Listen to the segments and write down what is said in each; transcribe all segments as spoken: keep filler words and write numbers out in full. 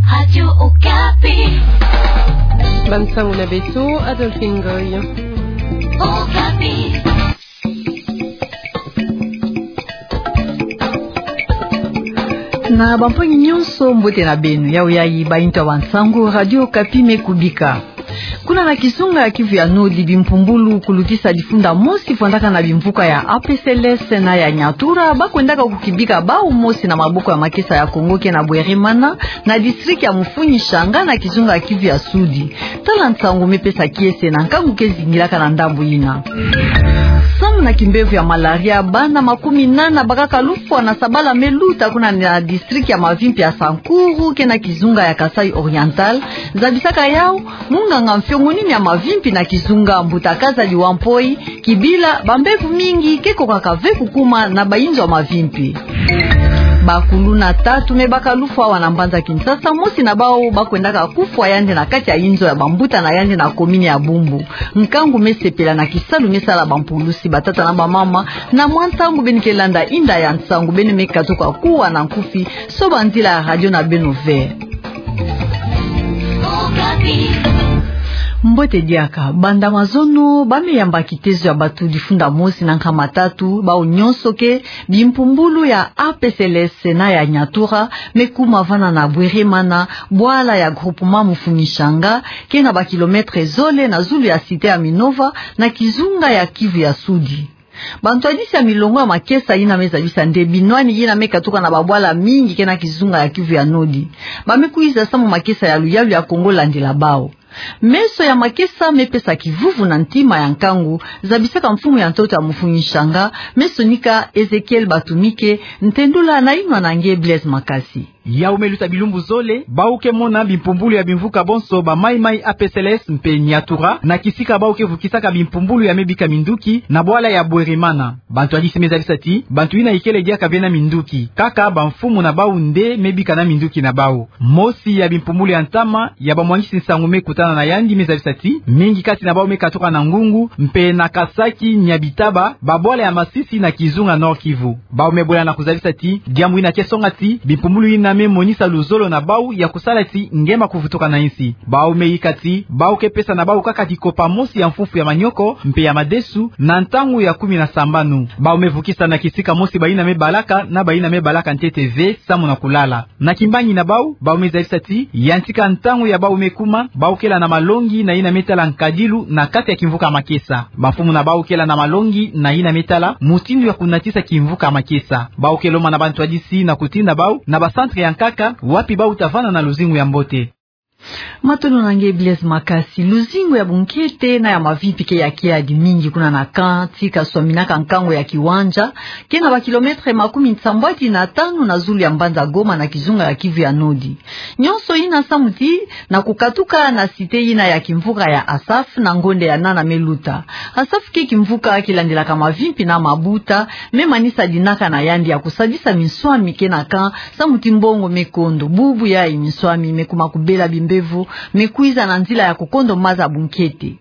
Radio Okapi. Bansangu na beto, Adolphine Ngoy. Okapi. Na bampangi nyonso, mbote na beno. Yayi bainto ya bansangu Radio Okapi me kubika. Kuna na kizunga ya Kivu ya Nord, bimpumbulu kulutisa difunda mosi vwandaka na bimvuka ya A P C L S na ya Nyatura, ba kwendaka kukibika bau mosi na maboko ya makesa ya Congo ke na Bweremana, na district ya Mufuni Nshanga na kizunga ya Kivu ya Sud. Tala nsangu me pesa kiese na nkangu ke zingilaka na ndambu yina. Samu na kimbevo ya malaria, bana makumi nana bakaka lufwa na sabala me luta kuna na district ya mavimpi ya Sankuru ke na kizunga ya Kasaï Oriental, zabisaka yau munganga mfiongonini ya mavimpi na kizunga, Mbuta Kazadi Wampoi, kibila bambevo mingi ke kokaka ve kukuma na bainzo ya mavimpi. Bakuluna tatu me baka lufwa awa na mbanza Kinshasa, mosi na bau ba kwendaka kufwa yandi na kati ya inzo ya bambuta na yandi na komini ya Bumbu. Nkangu me sepela na kisalu me sala bampulusi, batata na bamama, na mwa ntangu beno ke landa inda ya nsangu, beno me katuka kuwa na nkufi so banzila ya radio na beno ve. Mbote diaka, banda mazono, ba me yamba kitezo ya bato difunda mosi na nkama tatu, bau nyonso ke, bimpumbulu ya A P C L S na ya Nyatura me kuma vana na Bweremana, bwala ya groupement Mufuni Nshanga, ke na bakilometre zole na zulu ya cité ya Minova, na kizunga ya Kivu ya Sud. Bantwadisi ya milongo ya makesa yina me zabisa nde binwani yina me katuka na babwala mingi ke na kizunga ya Kivu ya Nord, ba me kwiza samu makesa ya luyalu ya Congo landila bau. Meso ya makesa me pesa kivuvu na ntima ya nkangu, zabisaka mfumu ya ntoto ya Mufuni Nshanga, me sonika Ezekiel Batumike, ntendula na inwa na nge Blaise Makasi. Yau me luta bilumbu zole, bau ke mona bimpumbulu ya bimvuka bonso ba maimai A P C L S mpe Nyatura, na kisika bau ke vukisaka bimpumbulu ya me bika minduki, na bwala ya Bweremana. Bantwadisi me zabisa ti, bantu yina ikele diaka ve na minduki. Kaka bamfumu na bau nde me bika na minduki na bau. Mosi ya bimpumbulu ya ntama, ya bamwangisi nsangu me kutana na yandi me zabisa ti, mingi kati na bau me katuka na Ngungu, mpe na Kasaki, Nyabitaba, babwala ya Masisi na kizunga Nord-Kivu. Bau me bwela na kuzabisa ti, diambu yina ke songa ti, bimpumbulu yina me monisa luzolo na bau ya kusala ti, nge ma kuvutuka na insi. Bau me yika ti, bau ke pesa na bau kaka dikopa mosi ya mfufu ya manioko, mpe ya madesu, na ntangu ya kumi na sambanu. Bau me vukisa na kisika mosi bayina me balaka, na bayina me balaka ntete ve, samu na kulala. Na kimbangi na bau, bau me zabisa ti, yantika ntangu ya bau me kuma, bau kela na malongi na yina me tala nkadilu na kati ya kimvuka makesa. Bamfumu na bau kela na malongi na yina me tala mutindu ya kunatisa kimvuka makesa. Bau ke lomba na bantwadisi na kutinda bau na bacentre ya nkaka, wapi bau ta vanda na luzingu ya mbote. Matondo na nge Blaise Makasi. Luzingu ya bunkete na ya mavimpi ke ya kiadi mingi kuna na camp ti kaswaminaka nkangu ya Kiwanja, ke na bakilometre makumi nsambwadi na tanu na zulu ya mbanza Goma na kizunga ya Kivu ya Nord. Nyonso yina samu ti na kukatuka na cité yina ya kimvuka ya Asaf na ngonde ya nana me luta. Asaf ke kimvuka kilandilaka mavimpi na mabuta, me manisa dinaka na yandi ya kusadisa minswami ke na camp, samu ti mbongo me kondo. Bubu yayi minswami me kuma kubela bimbevo, me kwiza na nzila ya kukondo maza bunkete.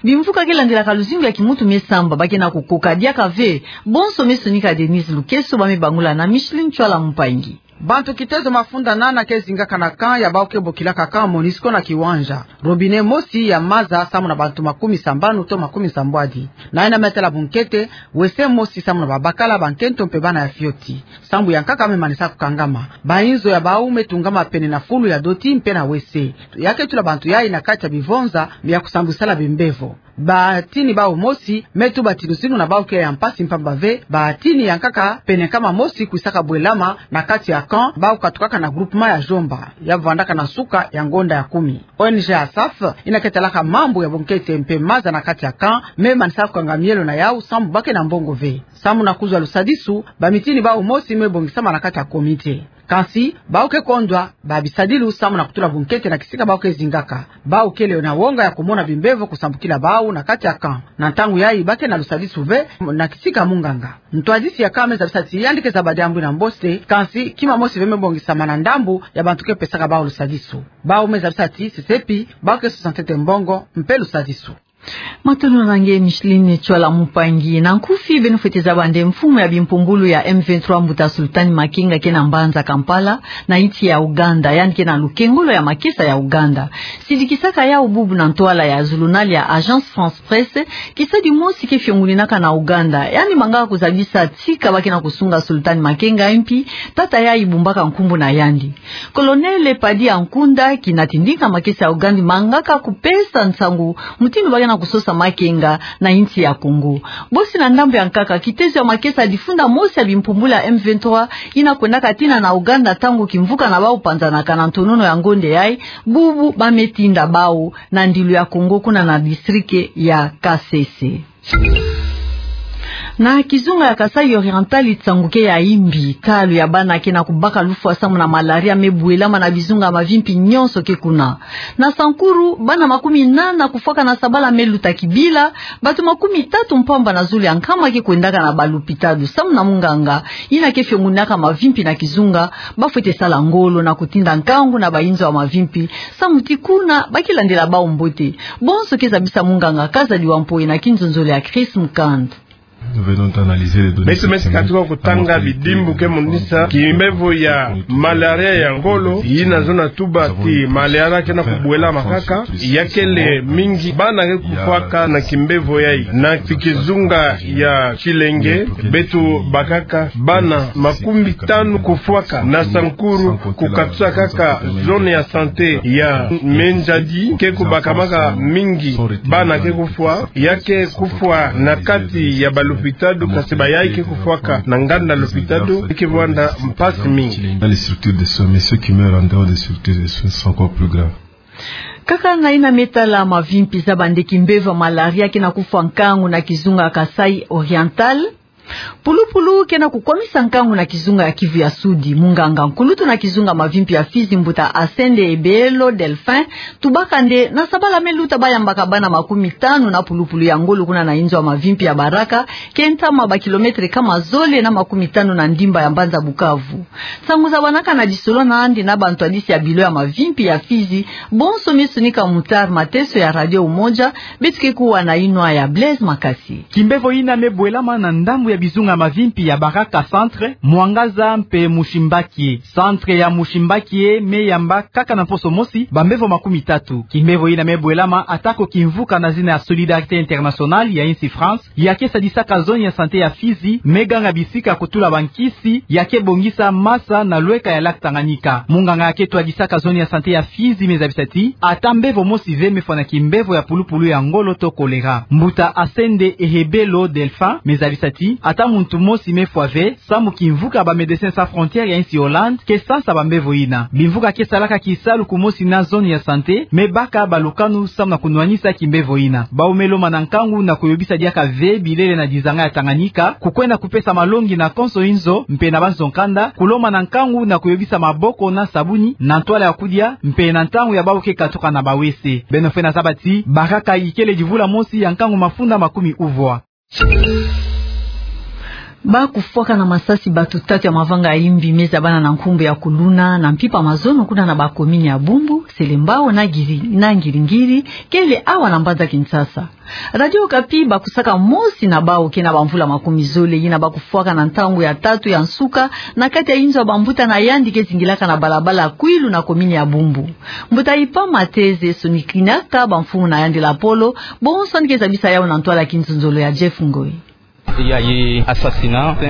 Bimvuka ke landilaka luzingu ya kimuntu me samba, ba ke na kukoka diaka ve. Bonso me sonika Denise Lukeso, ba me bangula na Micheline Chwala Mpangi. Bantu kitezo mafunda nana ke zingaka na camp ya bau ke bokilaka camp Monusco na Kiwanja. Robinet mosi ya maza samu na bantu makumi sambanu to makumi sambwadi. Na yina me tala bunkete, wese mosi samu na babakala, bankento mpe bana ya fioti. Sambu ya nkaka me manisa kukangama. Bainzo ya bau me tungama pene na fulu ya doti mpe na wese. Ya ke tula bantu yayi na kati ya bivonza ya kusambwisala bimbevo. Batini bau mosi me tuba ti luzingu na bau ke ya mpasi mpamba ve, batini ya nkaka pene nkama mosi kwisaka bwelama na kati ya camp, bau katukaka na groupement ya Jomba, ya vandaka na suka ya ngonda ya kumi. O N G Asaf, yina ke talaka mambu ya bunkete mpe maza na kati ya camp, me manisa kukanga mielo na yau sambu ba ke na mbongo ve. Samu na kuzwa lusadisu, bamitini bau mosi me bongisama na kati ya comité. Kansi, bau ke kondwa ba bisadilu samu na kutula bunkete na kisika bau ke zingaka. Bau kele na wonga ya kumona bimbevo kusambukila bau na kati ya camp. Na ntangu yayi ba ke na lusadisu ve na kisika munganga. Ntwadisi ya camp me zabisa ti yandi ke zaba diambu yina mbote, kansi kima mosi ve me bongisama na ndambu ya bantu ke pesaka bau lusadisu. Bau me zabisa ti sesepi, bau ke sosa ntete mbongo mpe lusadisu. Matondo na nge Micheline Tshoala Mpangi. Na nkufi, beno fwete zaba nde mfumu ya bimpumbulu ya M vingt-trois, mbuta Sultani Makenga, ke na mbanza Kampala, na insi ya Ouganda, yandi ke na lukengolo ya makesa ya Ouganda. Sidikisaka yau bubu na ntwala ya zulunal ya Agence France-Presse, kisadi mosi ke fionguninaka na Ouganda, yandi mangaka kuzabisa tika ba ke na kusunga Sultani Makenga, mpi tata yayi bumbaka nkumbu na yandi. Colonel Paddy Ankunda, kina tindinga makesa ya Ouganda, mangaka kupesa nsangu mutindu ba ke na kusosa Makenga na insi ya Congo. Bosi na ndambu ya nkaka, kitezo ya makesa difunda mosi ya bimpumbulu ya M vingt-trois yina kwendaka tina na Ouganda ntangu kimvuka na bau panzanaka na ntonono ya ngonde yayi, bubu ba me tinda bau na ndilu ya Congo kuna na district ya Kasese. Na kizunga ya Kasaï Oriental, nsangu ke ya imbi, talu ya bana ke na kubaka lufwa samu na malaria me bwelama na bizunga mavimpi nyonso ke kuna. Na Sankuru, bana makumi nana kufwaka na sabala me luta kibila, bato makumi tatu mpamba na zole ya nkama ke kwendaka na balupitalu samu na munganga yina ke fionguninaka mavimpi na kizunga, ba fwete sala ngolo na kutinda nkangu na bayinzo ya mavimpi, samu ti kuna ba ke landila bau mbote. Bonso ke zabisa munganga Kazadi Wampoye na kinzonzolo ya Chris Mukand. Nous venons d'analyser les données. Beto mesi katuka kutanga bidimbu ke monisa kimbevo ya malaria ya ngolo, yina zona tuba ti malaria ke na kubwelama kaka, ya kele mingi bana ke kufwaka na kimbevo yayi. Na kizunga ya Tshilenge, beto bakaka bana makumi tanu kufwaka. Na Sankuru, kukatusa kaka zone ya santé ya Mandjadi, ke kubakamaka mingi bana ke kufwa, ya ke kufwa na kati ya balupitalu, kasi bayayi ke kufwaka na nganda lupitalu ke vwanda mpasi mingi. Dans les structures de soins, mais ceux qui meurent en dehors des structures de soins sont encore plus graves. Kaka na yina me tala mavimpi, zaba nde kimbevo ya malaria ke na kufwa nkangu na kizunga Kasaï Oriental. Pulupulu ke na kukwamisa nkangu na kizunga ya Kivu ya Sudi. Munganga nkulutu na kizunga mavimpi ya Fizi, mbuta Asende Ebelo Delphin, tubaka nde na sabala me luta ba yambaka bana makumi tanu na pulupulu ya ngolo kuna na inzo ya mavimpi ya Baraka, ke ntama ba kilomètre kama zole na makumi tanu na ndimba ya mbanza Bukavu. Nsangu zabanaka na disolo na andi na bantwadisi ya bilo ya mavimpi ya Fizi, bonso me sonika Mutar Mateso ya Radio Umoja, beto ke kuwa na yinwa ya Blaise Makasi. Kimbevo yina me bwelama na ndambu ya bizunga mavimpi ya Baraka Centre, Mwangaza mpe Mushimbakie. Centre ya Mushimbakie me yamba kaka na mposo mosi bambevo makumi tatu. Kimbevo yina me bwelama atako kimvuka na zina ya Solidarité Internationale ya insi France, ya ke sadisaka zone ya santé ya Fizi, me ganga bisika kutula bankisi, ya ke bongisa masa na lweka ya lac Tanganyika. Munganga ya ke twadisaka zone ya santé ya Fizi me zabisa ti ata mbevo mosi ve me fwa na kimbevo ya pulupulu ya ngolo to choléra. Mbuta Asende Ehebelo Delphin me zabisa ti ata muntu mosi me fwa ve, samu kimvuka ba Médecins Sans Frontières ya insi Hollande ke sansa bambevo yina. Bimvuka ke salaka kisalu kumosi na zone ya santé me baka balukanu samu na kunwanisa kimbevo yina. Bau me lomana nkangu na kuyobisa diaka ve bilele na dizanga ya Tanganyika kukwenda kupesa malongi na konso inzo mpe na banzo-nkanda, kulomana nkangu na kuyobisa maboko na sabuni na ntwala ya kudia mpe na ntangu ya bau ke katuka na bawese. Beno fwete zaba ti Baraka ikele divula mosi ya nkangu mafunda makumi uvwa. Ba kufwaka na masasi bato tatu ya mavanga ya imbi me zabana na nkumbu ya kuluna na mpimpa mazono kuna na ba commune ya Bumbu, Selembao na Ngiri-, na Ngiri-Ngiri, kele awa na mbanza Kinshasa. Radio Okapi bakusaka mosi na bau ke na bamvula makumi zole, yina ba kufwaka na ntangu ya tatu ya nsuka na kati ya inzo ya bambuta na yandi ke zingilaka na balabala Kwilu na commune ya Bumbu. Mbuta Ipa Mateze sonikinaka bamfumu na yandi lapolo, bonso yandi ke zabisa yau na ntwala ya kinzonzolo ya Jeff Ngoi.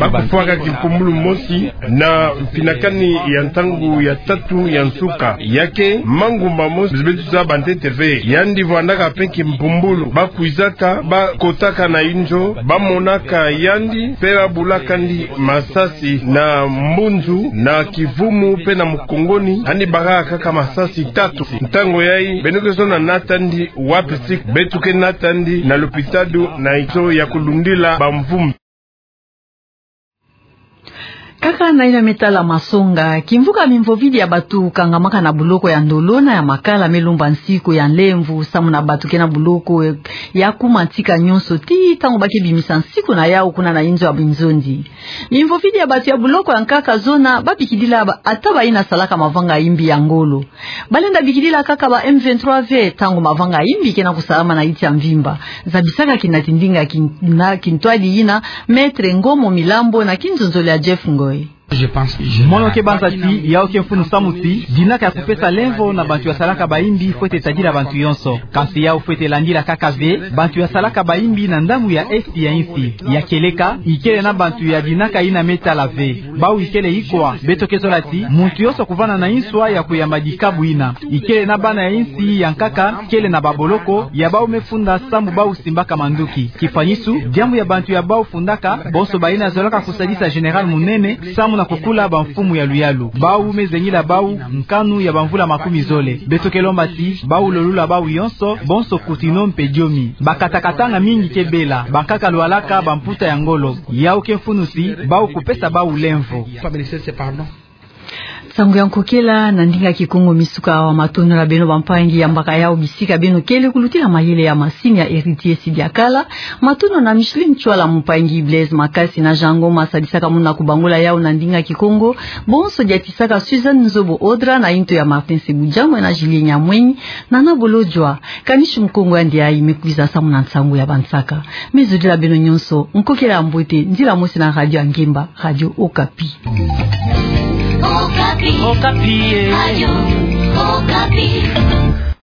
Ba kufwaka kimpumbulu mosi na mpinakani ya ntangu ya tatu ya nsuka. Ya ke mangu mamosi beto zaba ntete ve. Yandi vwandaka mpe kimpumbulu. Ba kwizaka, ba kotaka na inzo, ba monaka yandi, mpe ba bulaka yandi masasi na mbunzu, na kivumu, mpe na mukongoni, yandi bakaka kaka masasi tatu. Ntangu yayi, beno ke zona nata yandi wapi sika, beto ke nata yandi na lopitalo na inzo ya kulundila bamvumbi. Kaka na yina me tala masonga, kimvuka mimvovidi ya batu kangamaka na buloko ya ndolo na ya makala me lumba nsiku ya nlemvo, samu na batu ke na buloko ya kuma ntika nyonso, tii ntango ba ke bimisa nsiku na yau kuna na inzo ya binzondi. Mimvovidi ya batu ya buloko ya nkaka zona, ba bikidila ba, ata bayina salaka mavanga imbi ya ngolo. Ba lenda bikidila kaka ba M vingt-trois ve, ntango mavanga imbi ke na kusalama na insi ya mvimba. Zabisaka kinati ndinga kin-, na kintwadi yina, Maître Ngomo Milambo na kinzonzolo ya Jeff Ngoy. Mono ke banza ti, yau ke mfunu samu ti, dinaka ya kupesa lemvo na bantu ya salaka bayimbi fwete tadila bantu yonso. Kansi yau fwete landila kaka ve, bantu ya salaka bayimbi na ndambu ya Est ya insi. Ya kieleka, ikele na bantu ya dinaka yina me tala ve. Bau ikele ikwa, beto ke zola ti, muntu yonso kuvanda na inswa ya kuyamba dikabu yina. Ikele na bana ya insi ya nkaka, kele na baboloko, ya bau me funda samu bau simbaka manduki. Kifwanisu, diambu ya bantu ya bau fundaka, bonso bayina zolaka kusadisa Général Munene, samu na kukula bamfumu ya luyalu. Bau me zengila bau, nkanu ya bamvula makumi zole. Beto ke lomba ti, bau lolula bau yonso, bonso kutino mpe diomi. Bakatakatanga mingi ke bela, bankaka lwalaka bamputa ya ngolo. Yau ke mfunu ti, bau kupesa bau lemvo. Nsangu ya nkokela na ndinga Kikongo mi suka awa. Matondo na beno bampangi ya mbaka yau bisika beno kele kulutila mayele ya masini ya Héritier Sidiakala. Matondo na Micheline Chwala, mpangi Blaise Makasi na Jean Ngoma sadisaka muna kubangula yau na ndinga Kikongo. Bonso diatisaka Suzanne Nzobo Odra na into ya Martin Sebujamwe na Julien Nyamwenyi na Nabolo Jwa. Kanishi Mukongo ya ndiayi me kwiza samu na nsangu ya bansaka. Me zodila beno nyonso nkokela ya mbote, nzila mosi na radio ya ngemba, Radio Okapi. Okapi. Okapi, eh. Radio Okapi.